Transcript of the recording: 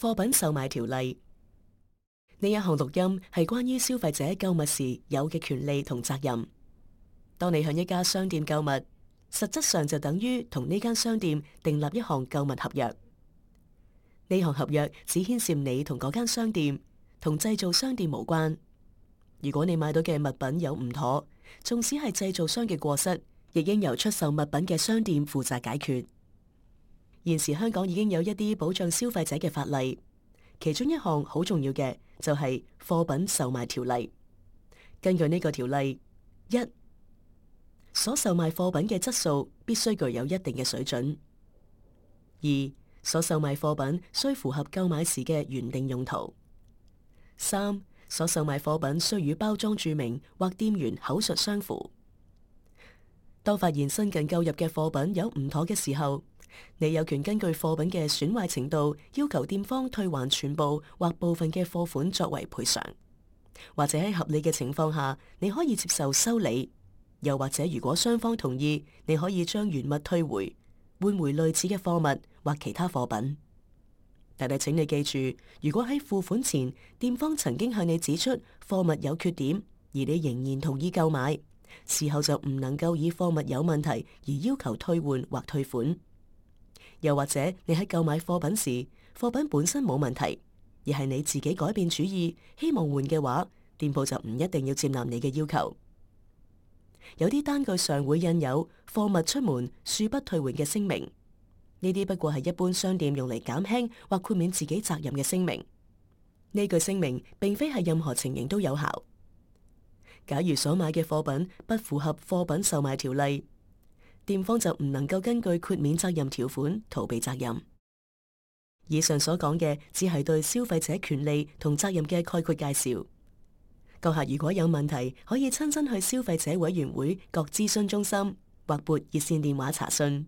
貨品售賣條例。呢一項錄音係關於消費者購物時有嘅權利同責任。當你向一家商店購物，實質上就等於同呢間商店訂立一項購物合約。呢項合約只牽涉你同嗰間商店，同製造商店無關。如果你買到嘅物品有唔妥，縱使係製造商嘅過失，亦應由出售物品嘅商店負責解決。現時香港已經有一啲保障消費者嘅法例，其中一項好重要嘅就係貨品售賣條例。根據呢個條例，一、所售賣貨品嘅質素必須具有一定嘅水準；二、所售賣貨品須符合購買時嘅原定用途；三、所售賣貨品須與包裝註明或店員口述相符。當發現新近購入嘅貨品有唔妥嘅時候，你有權根據貨品嘅損壞程度，要求店方退還全部或部分嘅貨款作為賠償，或者喺合理嘅情況下，你可以接受修理，又或者如果雙方同意，你可以將原物退回，換回類似嘅貨物或其他貨品。但係請你記住，如果喺付款前，店方曾經向你指出貨物有缺點，而你仍然同意購買，事後就唔能夠以貨物有問題而要求退換或退款。又或者你喺購買貨品時，貨品本身冇問題，而係你自己改變主意，希望換嘅話，店鋪就唔一定要接納你嘅要求。有啲單據上會印有貨物出門恕不退換嘅聲明，呢啲不過係一般商店用嚟減輕或豁免自己責任嘅聲明。呢句聲明並非係任何情形都有效。假如所買嘅貨品不符合貨品售賣條例，店方就唔能夠根據豁免責任條款逃避責任。以上所講嘅只係對消費者權利同責任嘅概括介紹。閣下如果有問題，可以親身去消費者委員會各諮詢中心或撥熱線電話查詢。